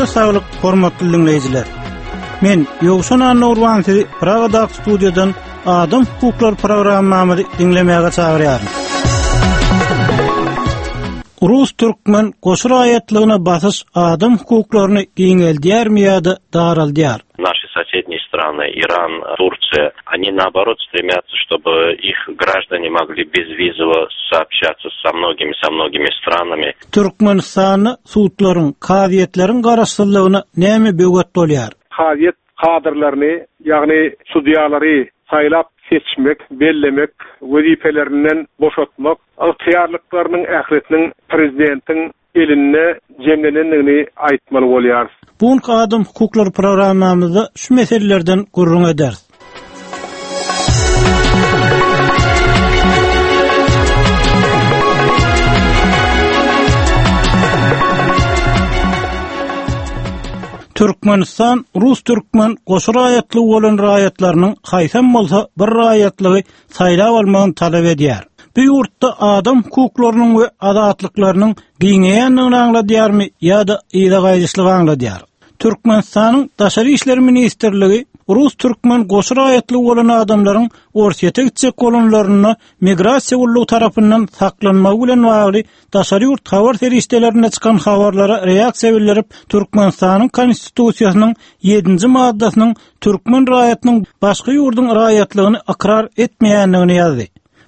Janyňyza saglyk, hormatly diňleýjiler. Men Ýowşan Annagurban sizi Pragadaky studiýadan Adam hukuklary programmamyzy diňlemäge çagyrýaryn. Rus-türkmen goşa raýatlygyna basyş adam hukuklaryny giňeldýärmi ýa-da daraldýar? Наши соседние страны, Иран, Турция, они наоборот стремятся, чтобы их граждане могли безвизово сообщаться со многими, со многими странами. Türkmenistanda sudlaryň, kazyýetleriň garaşsyzlygyna näme böwet bolýar? Kazyýet kadrlaryny, ýagny sudýalary saýlap seçmek, bellemek, wezipelerinden boşatmak ygtyýarlyklarynyň ählisiniň prezidentiň elinde jemlenendigini aýtmaly bolýarys. Bu günki Adam hukuklary programmamyzda şu meselelerden gürrüň ederis. Türkmenistan rus-türkmen goşa raýatlygy bolan raýatlarynyň haýsam bolsa bir raýatlygy saýlap almagyny talap edýär. Bu ýurtda adam hukuklarynyň we azatlyklarynyň giňeýändigini aňladýarmy ýa-da yza gaýdyşlygy aňladýar? Türkmenistanyň Daşary işler ministrligi rus-türkmen goşa raýatlygy bolan adamlaryň Orsýete gitjek bolanlarynda migrasiýa gullugy tarapyndan saklanmagy bilen bagly daşary ýurt habar serişdelerinde çykan habarlara reaksiýa bildirip, Türkmenistanyň Konstitusiýasynyň ýedinji maddasynyň türkmen raýatynyň başga ýurduň raýatlygyny ykrar etmeýändigini ýazdy.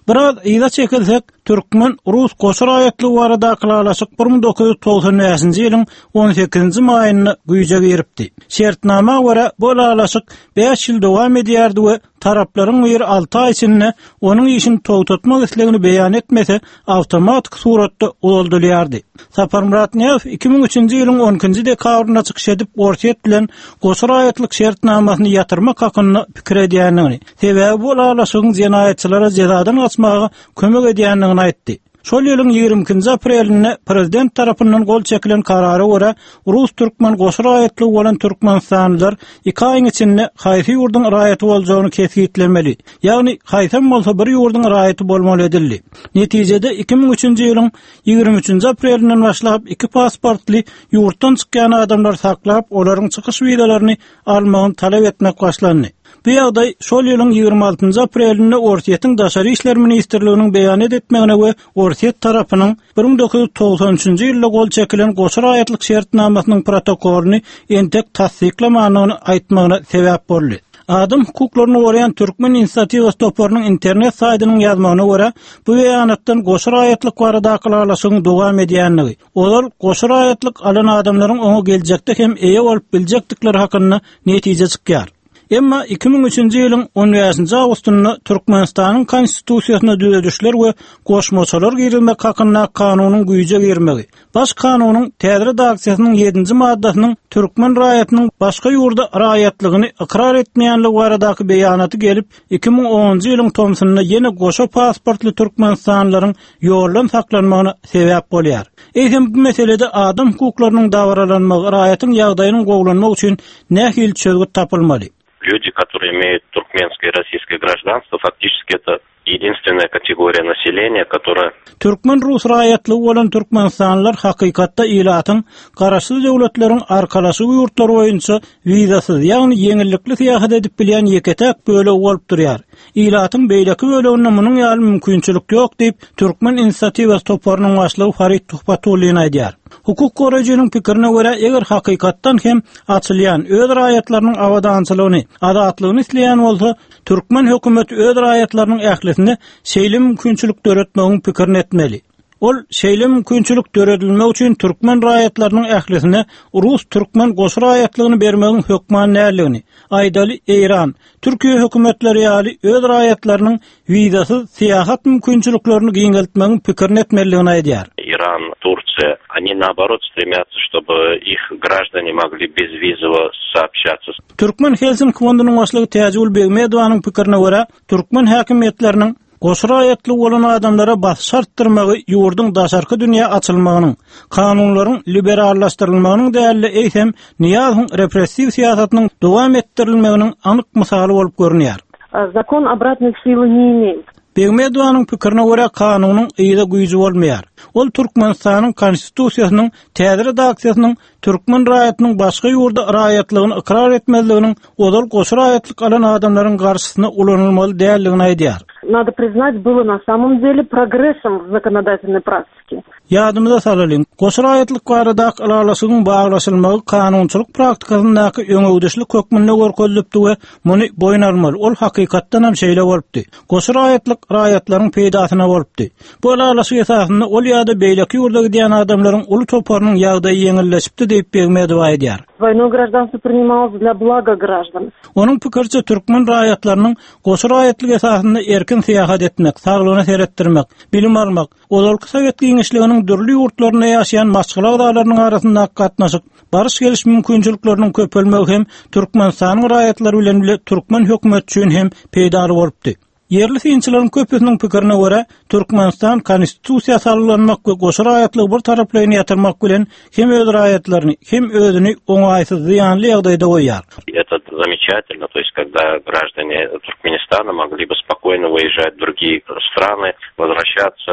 Biraz yza çekilsek, türkmen-rus goşa raýatlygy baradaky ylalaşyk 1995-nji ýylyň on sekizinji maýynda güýje giripdi. Şertnama görä, bu ylalaşyk bäş ýyl dowam edýärdi we taraplaryň biri alty aý içinde onuň işini togtatmak islegini beýan etmese, awtomatik suratda uzaldylýardy. Saparmyrat Nyýazow 2003-nji ýylyň on ikinji dekabrynda çykyş edip, Orsýet bilen goşa raýatlyk şertnamasyny ýatyrmak hakynda pikir edýändigini, sebäbi bu ylalaşygyň jenaýatçylara jezadan gaçmaga kömek edýändigini aýtdy. Şol ýylyň 22-nji aprelinde prezident tarapyndan gol çekilen karara görä, rus-türkmen goşa raýatlygy bolan türkmenistanlylar iki aýyň içinde haýsy ýurduň raýaty boljagyny kesgitlemeli, ýagny haýsam bolsa bir ýurduň raýaty bolmaly edildi. Netijede 2003-nji ýylyň 23-nji aprelinden başlap iki pasportly ýurtdan çykýan adamlary saklap, olaryň çykyş wizalaryny almagyny talap etmek başlandy. Bu ýagdaý şol ýylyň 26-njy aprelinde Orsýetiň Daşary işler ministrliginiň beýanat etmegine we Orsýet tarapynyň 1993-nji ýylda gol çekilen goşa raýatlyk şertnamasynyň protokolyny entek tassyklamandygyny aýtmagyna sebäp boldy. Adam hukuklaryny goraýan Türkmen inisiatiwasy toparynyň internet saýdynyň ýazmagyna görä, bu beýanatdan goşa raýatlyk baradaky ylalaşygyň dowam edýändigi, ozal goşa raýatlyk alan adamlaryň oňa geljekde hem eýe bolup biljekdikleri hakynda netije çykýar. Emma 2003-nji ýylyň on bäşinji awgustynda Türkmenistanyň Konstitusiýasyna düzedişler we goşmaçalar girizmek hakyndaky kanunyň güýje girmegi, Baş kanunyň täze redaksiýasynyň ýedinji maddasynyň türkmen raýatynyň başga ýurda raýatlygyny ykrar etmeýänligi baradaky beýanaty gelip, 2010-njy ýylyň tomsunda ýene goşa pasportly türkmenistanlylaryň ýoldan saklanmagyna sebäp bolýar. Eýsem, bu meselede adam hukuklarynyň dabaralanmagy, raýatyň ýagdaýynyň gowulanmagy üçin nähili çözgüt tapylmaly? Люди, которые имеют туркменское и российское гражданство, фактически это единственная категория населения, которая Türkmen-rus raýatlygy bolan türkmenistanlylar hakykatda ilatyň Garaşsyz Döwletleriň Arkalaşygy ýurtlary boýunça wizasyz, ýagny ýeňillikli syýahat edip bilýän ýeke-täk bölegi bolup durýar. Ilatyň beýleki böleginde munuň ýaly mümkinçilik ýok diýip, Türkmen inisiatiwasy toparynyň başlygy Farid Tuhbatullin aýdýar. Hukuk goraýjynyň pikirine görä, eger hakykatdan hem açylýan, öz raýatlarynyň abadançylygyny, azatlygyny isleýän bolsa, türkmen hökümeti öz raýatlarynyň ählisine şeýle mümkinçilik döretmegiň pikirini etmeli. Ol şeýle mümkinçilik döredilmegi üçin türkmen raýatlarynyň ählisine rus-türkmen goşa raýatlygyny bermegiň hökman däldigini, aýdaly, Eýran, Türkiýe hökümetleri ýaly öz raýatlarynyň wizasyz syýahat mümkinçiliklerini giňeltmegiň pikirini etmelidigini aýdýar. Iran, Tursiýa, oni naoborot stremýatsa, ştoby ih graždani mogli bezwizowo soobşatsa. Türkmen Helsinki fondunyň başlygy Täjigül Begmedowanyň pikirine görä, türkmen häkimiýetleriniň Goşa raýatlygy bolan adamlara basyş artdyrmagy ýurduň daşarky dünýä açylmagynyň, kanunlaryň liberallaşdyrylmagynyň däl-de, eýsem, Nyýazowyň repressiw syýasatynyň dowam etdirilmeginiň anyk mysaly bolup görünýär. Zakon obratnoý sily ne imeýet. Begmedowanyň pikirine görä, kanunyň yza güýji bolmaýar. Ol Türkmenistanyň Konstitusiýasynyň täze redaksiýasynyň türkmen raýatynyň başga ýurda raýatlygyny ykrar etmezliginiň ozal goşa raýatlyk alan adamlaryň garşysyna ulanylmaly däldigini aýdýar. Nado priznat, bylo na samom dele progressom w zakonodatelnoý praktike. Ýadymyza salalyň, goşa raýatlyk baradaky ylalaşygyň baglaşylmagy kanunçylyk praktikasyndaky öňegidişlik hökmünde görkezilipdi we muny boýun almaly, ol hakykatdan hem şeýle bolupdy. Goşa raýatlyk raýatlaryň peýdasyna bolupdy. Bu ylalaşyk esasynda ol ýa-da beýleki ýurda gidýän adamlaryň uly toparynyň ýagdaýy ýeňilleşipdi diýip, Begmedowa aýdýar. Dwoýnoe graždanstwo prinimalось dla blaga graždan. Onuň pikiriçe, türkmen raýatlarynyň goşa raýatlyk esasynda erkin syýahat etmek, saglygyna seretdirmek, bilim almak, Ozalky sowet giňişliginiň dürli ýurtlarynda ýaşaýan maşgala agzalarynyň arasyndaky gatnaşyk, baryş-geliş mümkinçilikleriniň köpelmegi hem Türkmenistanyň raýatlary bilen bile türkmen hökümeti üçin hem peýdaly bolupdy. Ýerli synçylaryň köpüsiniň pikirine görä, Türkmenistan Konstitusiýa salgylanmak we goşa raýatlygy bir taraplaýyn ýatyrmak bilen hem öz raýatlaryny, hem özüni oňaýsyz, zyýanly ýagdaýda goýýar. Это замечательно, то есть когда граждане Туркменистана могли бы спокойно выезжать в другие страны, возвращаться.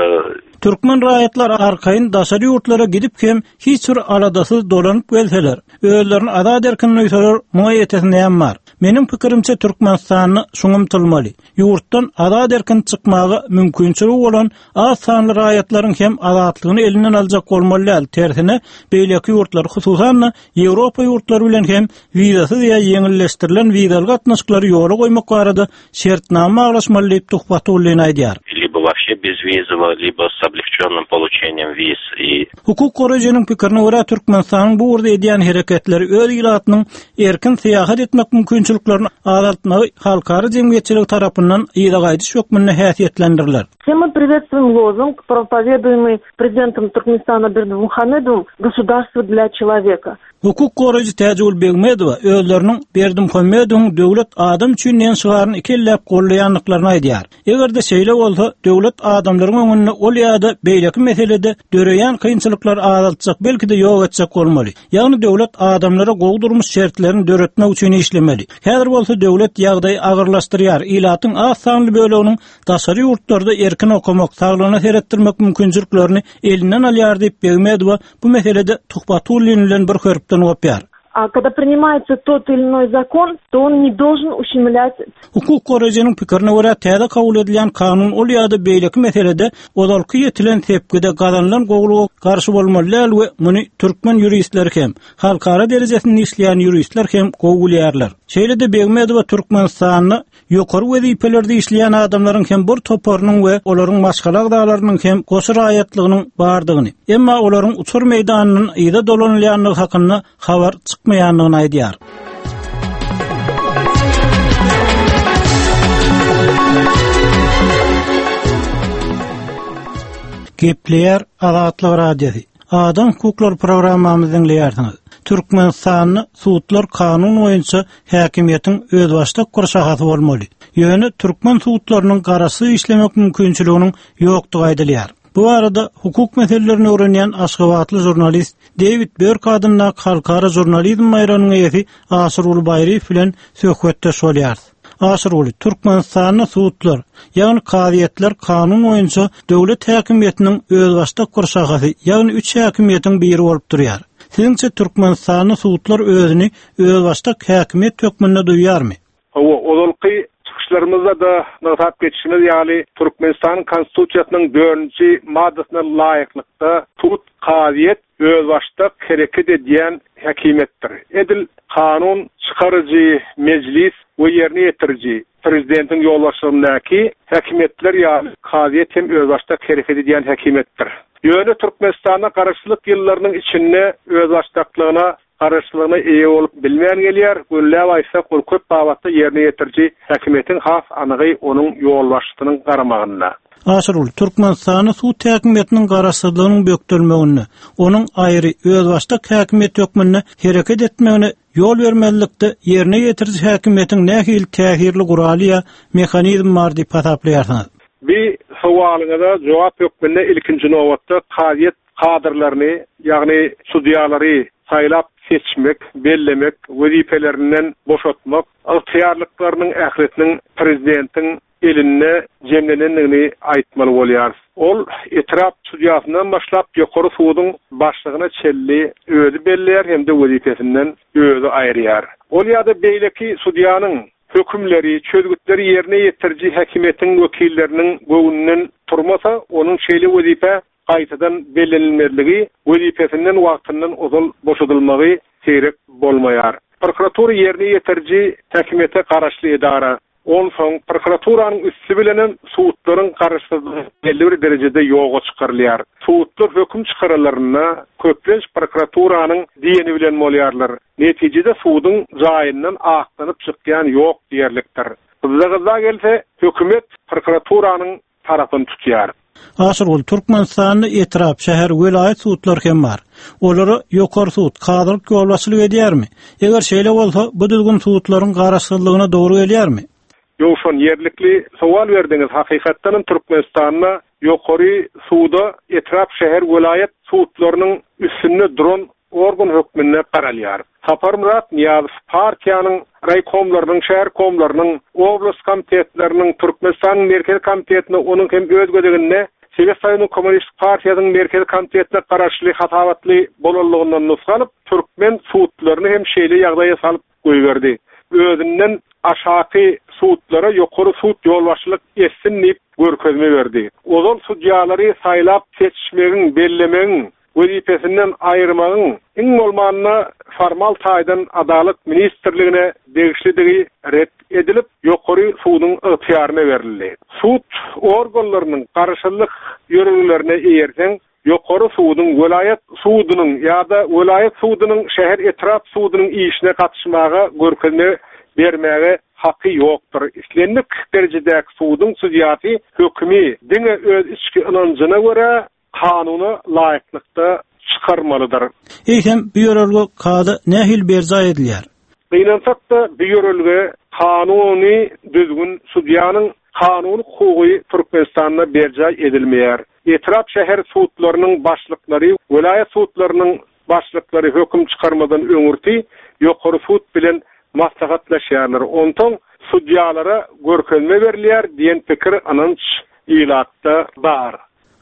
Türkmen raýatlary arkaýyn daşary ýurtlara gidip hem hiç bir aladasyz dolanyp gelseler, özlerini azat-erkin duýsalar, muňa ýetesi näme bar? Meniň pikirimçe, Türkmenistanda şuňa ymtylmaly. Ýurtdan azat-erkin çykmaga mümkinçiligi bolan az sanly raýatlaryň hem azatlygyny elinden aljak bolmaly däl, tersine, beýleki ýurtlar, hususan-da, Ýewropa ýurtlary bilen hem wizasyz ýa ýeňilleşdirilen wizaly gatnaşyklary ýola goýmak barada şertnama baglaşmaly diýip, Tuhbatullin aýdýar. Libo wobşe bezwizowo, libo s oblegçennym poluçeniem wiz i. Hukuk goraýjynyň pikirine görä, Türkmenistanyň bu ugurda edýän hereketleri öz ilatynyň erkin syýahat etmek mümkinçiliklerini azaltmagy halkara jemgyýetçiligi tarapyndan yza gaýdyş hökmünde häsiýetlendiriler. Все мы приветствуем лозунг, проповедуемый prezidentom Türkmenistana Berdimuhamedowym Государство для человека. Hukuk goraýjy Täjigül Begmedowa özleriniň Berdimuhamedowyň Döwlet adam üçin diýen şygaryny iki elläp goldaýandyklaryny aýdýar. Eger-de şeýle bolsa, döwlet adamlaryň öňünde ol ýa-da beýleki meselede döreýän kynçylyklary azaltjak, belki-de ýok etjek bolmaly. Ýagny döwlet adamlara gowy durmuş şertlerini döretmek üçin işlemeli. Häzir bolsa döwlet ýagdaýy agyrlaşdyrýar, ilatyň az sanly böleginiň daşary ýurtlarda erkin okamak, saglygyna seretdirmek mümkinçiliklerini elinden alýar diýip, Begmedowa bu meselede Tuhbatullin bilen bir hörpden gopýar. A kada prinimaýtsa tot ili inoý zakon, to on ne dolžen uşemlýat. Hukuk goraýjynyň pikirine görä, täze kabul edilýän kanun ol ýa-da beýleki meselede ozalky ýetilen sepgide gazanylan gowulyga garşy bolmaly däl we muny türkmen ýuristleri hem, halkara derejesinde işleýän ýuristler hem gowy bilýärler. Şeýle-de Begmedowa Türkmenistanda Ýokary wezipelerde işleýän adamlaryň hem bir toparynyň we olaryň maşgala agzalarynyň hem goşa raýatlygynyň bardygyny, emma olaryň uçar meýdanyndan yza dolanylýandygy hakynda habar çykmaýandygyny aýdýar. Gepleýär Azatlyk Radiosy. Adam hukuklary programmamyzy diňleýärsiňiz. Türkmenistanda sudlar kanun boýunça häkimiýetiň özbaşdak bir şahasy bolmaly. Ýöne türkmen sudlarynyň garaşsyz işlemek mümkinçiliginiň ýokdugy aýdylýar. Bu barada hukuk meselelerini öwrenýän aşgabatly žurnalist, Dewid Börk adyndaky halkara žurnalizm baýragynyň eýesi Aşyrguly Baýryýew bilen söhbetdeş bolýarys. Aşyrguly, Türkmenistanda sudlar, ýagny kazyýetler kanun boýunça döwlet häkimiýetiniň özbaşdak bir şahasy, ýagny üç häkimiýetiň biri bolup durýar. Siziňçe Türkmenistanda sudlar özüni özbaşdak häkimiýet hökmünde duýýarmy? Hawa, ozalky çykyşlarymyzda-da nygtap geçişimiz ýaly, Türkmenistanyň Konstitusiýasynyň dördünji maddasyna laýyklykda, sud, kazyýet özbaşdak hereket edýän häkimiýetdir. Edil kanun çykaryjy, mejlis, we ýerine ýetiriji, prezidentiň ýolbaşçylygyndaky häkimiýetler ýaly kazyýet hem özbaşdak hereket edýän häkimiýetdir. Ýöne Türkmenistanda garaşsyzlyk ýyllarynyň içinde özbaşdaklygyna garaşsyzlygyna eýe bolup bilmän gelýär, gönüläp aýtsak, ol köp babatda ýerine ýetiriji häkimiýetiň, has anygy, onuň ýolbaşçysynyň garamagynda. Aşyrguly, Türkmenistanda sud häkimiýetiniň garaşsyzlygynyň bökdelmeginde, onuň aýry, özbaşdak häkimiýet hökmünde hereket etmegine ýol bermezlikde ýerine ýetiriji häkimiýetiň nähili täsirli guraly ýa mehanizmi bar diýip hasaplaýarsyňyz? Bi sowalyňyza jogap hökmünde ilkinji nobatda kazyýet kadrlaryny, ýagny sudýalary saýlap seçmek, bellemek, wezipelerinden boşatmak ygtyýarlyklarynyň ählisiniň prezidentiň. elinde jemlenendigini aýtmaly bolýarys. Ol etrap sudýasyndan başlap ýokary suduň başlygyna çenli özi belleýär hem-de wezipesinden özi aýyrýar. Ol ýa-da beýleki sudýanyň hökümleri, çözgütleri ýerine ýetiriji häkimiýetiň wekilleriniň göwnünden turmasa, onuň şeýle wezipä gaýtadan bellenilmezligi, wezipesinden wagtyndan ozal boşadylmagy seýrek bolmaýar. Prokuratura ýerine ýetiriji häkimiýete garaşly edara. Onsoň prokuraturanyň üsti bilenem sudlaryň garaşsyzlygy belli bir derejede ýoga çykarylýar. Sudlar höküm çykaralarynda köplenç prokuraturanyň diýeni bilen bolýarlar. Netijede suduň jaýyndan aklanyp çykýan ýok diýerlikdir. Gyzza-gyzza gelse, hökümet prokuraturanyň tarapyny tutýar. Aşyrgul, Türkmenistanda etrap, şäher, welaýat sudlary hem bar. Olara Ýokary sud, kazylyk ýolbaşçylyk edýärmi? Eger şeýle bolsa, bu düzgün sudlaryň garaşsyzlygyna dogry gelýärmi? Ýowşan, ýerlikli sowal berdiňiz. Hakykatdan hem Türkmenistanda Ýokary suda etrap, şäher, welaýat sudlarynyň üstünde duran organ hökmünde garalýar. Saparmyrat Nyýazow partiýanyň raýkomlarynyň, şäherkomlarynyň, oblast komitetleriniň, Türkmenistanyň Merkezi komitetine, onuň hem öz gezeginde Sowet Soýuzynyň Kommunistik partiýasynyň Merkezi komitetine garaşly hasabatly bolanlygyndan nusga alyp, türkmen sudlaryny hem şeýle ýagdaýa salyp goýberdi. Özünden aşaky sudlara ýokary sud ýolbaşçylyk etsin diýip görkezme berdi. Ozal sudýalary saýlap seçmegiň, bellemegiň wezipesinden aýyrmagyň iň bolmanda formal taýdan Adalat ministrligine degişlidigi ret edilip, Ýokary suduň ygtyýaryna berildi. Sud organlarynyň garaşsyzlyk ýörelgelerine eýerseň, Ýokary suduň, welaýat sudunyň ýa-da welaýat sudunyň şäher-etrap sudunyň işine gatyşmaga görkezme bermäge haky ýokdur. Islendik derejedäki suduň sudýasy hökümi diňe öz içki ynanjyna görä kanuna laýyklykda çykarmalydyr. Eýsem, bu ýörelge kada nähili berjaý edilýär? Gynansak-da, bu ýörelge kanuny düzgün, sudýanyň kanuny hukugy Türkmenistanda berjaý edilmeýär. Etrap, şäher sudlarynyň başlyklary, welaýat sudlarynyň başlyklary höküm çykarmadan öňürti Ýokary sud bilen maslahatlaşýarlar. Onsoň sudýalara görkezme berilýär diýen pikir, ynanç ilatda bar.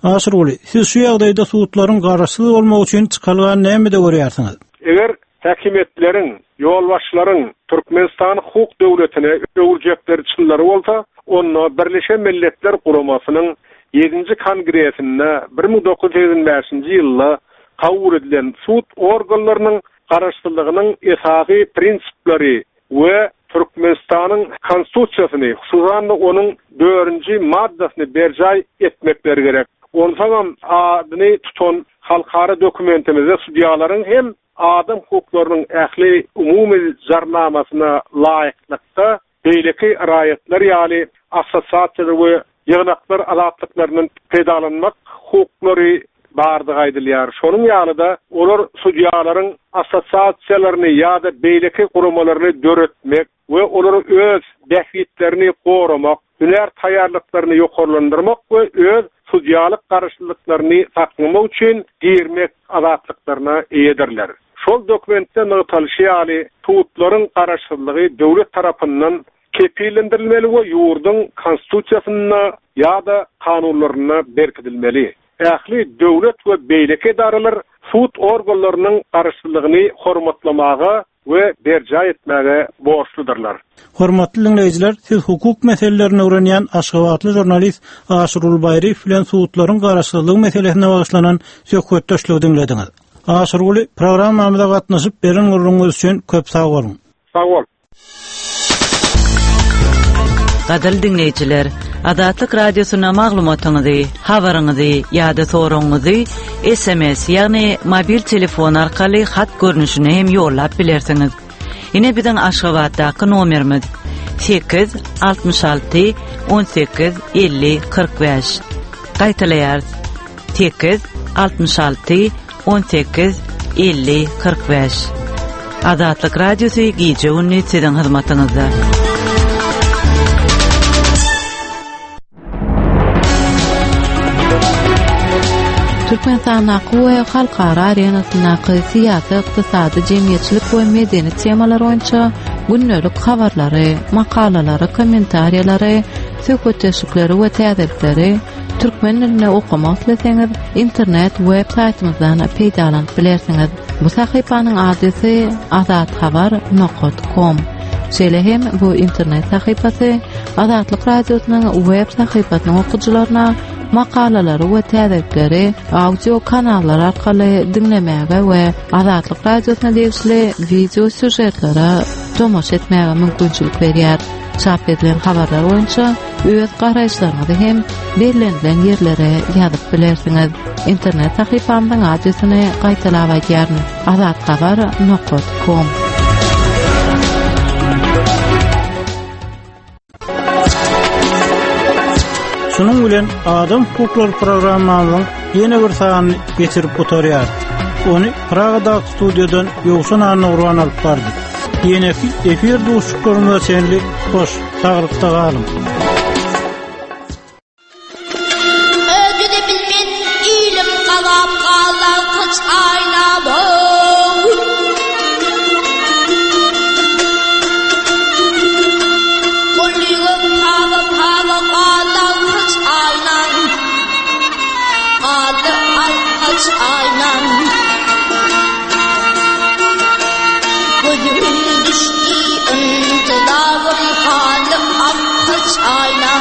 Aşyrguly, siz şu ýagdaýda sudlaryň garaşsyz bolmagy üçin çykalgany nämede görýärsiňiz? Eger häkimiýetleriň, ýolbaşçylaryň Türkmenistany hukuk döwletine öwürjekleri çynlary bolsa, onda Birleşen Milletler Guramasynyň ýedinji Kongresinde 1985-nji ýylda kabul edilen sud organlarynyň garaşsyzlygynyň esasy prinsipleri we Türkmenistanyň Konstitusiýasyny, hususan-da onuň dördünji maddasyny berjaý etmekleri gerek. Onsoňam adyny tutan halkara dokumentimizde sudýalaryň hem adam hukuklarynyň ähli umumy jarnamasyna laýyklykda beýleki raýatlar ýaly assosiasiýalar we ýygnaklar azatlyklaryndan peýdalanmak hukuklary bardygy aýdylýar. Şonuň ýaly-da, olar sudýalaryň assosiasiýalaryny ýa-da beýleki guramalaryny döretmek we olara öz bähbitlerini goramak, hünär taýýarlyklaryny ýokarlandyrmak we öz sudýalyk garaşlylyklaryny saklamak üçin girmek azatlyklaryna eýedirler. Şol dokumentde nygtalyşy ýaly, sudlaryň garaşsyzlygy döwlet tarapyndan kepillendirilmeli we ýurduň Konstitusiýasynda ýa-da kanunlarynda berkidilmeli. Ähli döwlet we beýleki edaralar sud organlarynyň garaşsyzlygyny hormatlamaga we berjaý etmäge borçludyrlar. Hormatly diňleýjiler, siz hukuk meselelerini öwrenýän aşgabatly žurnalist Aşyrguly Baýryýew bilen sudlaryň garaşsyzlygy meselesine bagyşlanan söhbetdeşligi diňlediňiz. Aşyrguly, programmamyza gatnaşyp beren gürrüňiňiz üçin köp sag boluň! Sag bol! Gadyrly diňleýjiler, Azatlyk Radiosyna maglumatyňyzy, habaryňyzy ýa-da soragyňyzy SMS, ýagny mobil telefon arkaly hat görnüşinde hem ýollap bilersiňiz. Ine biziň Aşgabatdaky nomerimiz 8 66 18 50 45. Gaýtalaýarys. 8 66 18 50 45. Azatlyk Radiosy gije-gündiz siziň hyzmatyňyzda. Türkmenistandaky we halkara arenasyndaky syýasy, ykdysady, jemgyýetçilik we medeni temalar boýunça gündelik habarlary, makalalary, kommentariýalary. söhbetdeşlikleri we täzelikleri türkmen dilinde okamak isleseňiz, internet web saýtymyzdan peýdalanyp bilersiňiz. Bu sahypanyň adresi azathabar nokat kom. Şeýle hem bu internet sahypasy Azatlyk Radiosynyň web sahypasynyň okyjylaryna makalalary we täzelikleri audio kanallar arkaly diňlemäge we Azatlyk Radiosyna degişli wideo sýužetlere tomaşa etmäge mümkinçilik berýär. Çap edilen habarlar boýunça öz garaýyşlaryňyzy hem bellenilen ýerlere ýazyp bilersiňiz. Internet sahypamyzyň adresini gaýtalap aýdýaryn, azathabar nokat kom. Şunuň bilen adam hukuklary programmamyzyň ýene bir sanyny geçirip gutarýarys. Ony Pragadaky studiýadan Ýowşan Annagurban alyp bardy. Ýeneki efir duşuşyklarymyza çenli hoş, saglykda galyň. Özüni bilmen ilim gazap galdy kaç aýna bow. Gullyga pawa pawa galdy kaç aýna. Galdy alkaç aýna. Gözüm düşdi intizarym galdy alkaç aýna.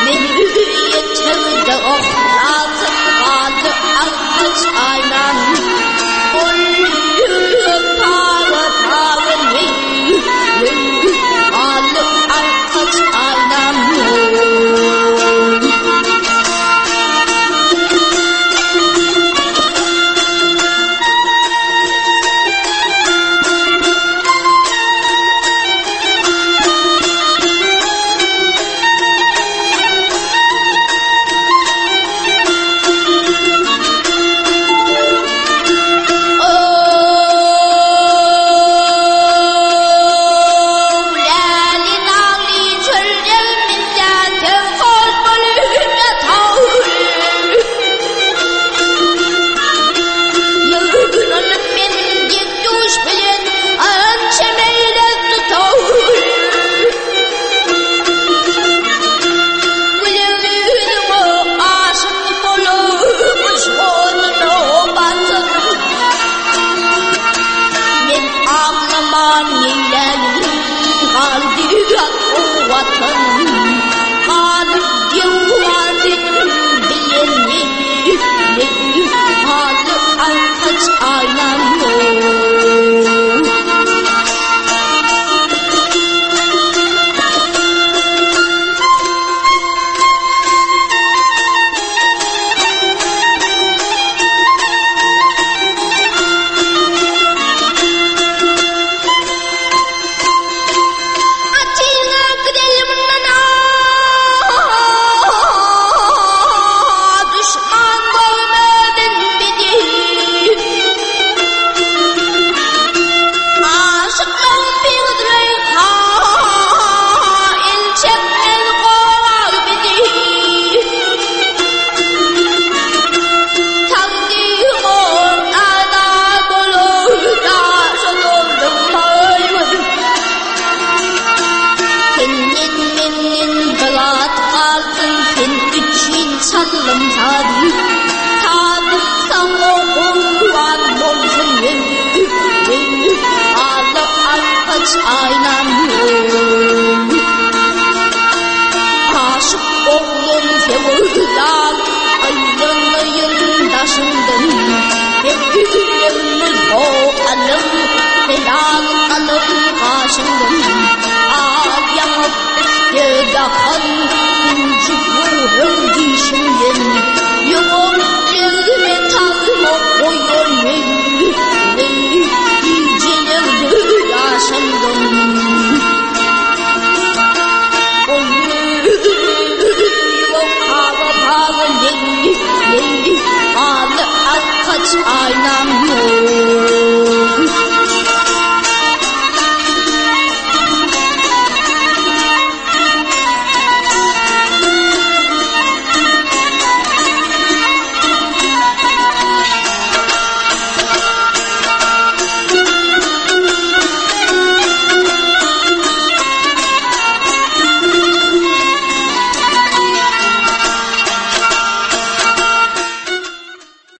Meni ýetirdi ohlatyp galdy alkaç aýna. Ol pawa pawa leý leý galdy alkaç aýna.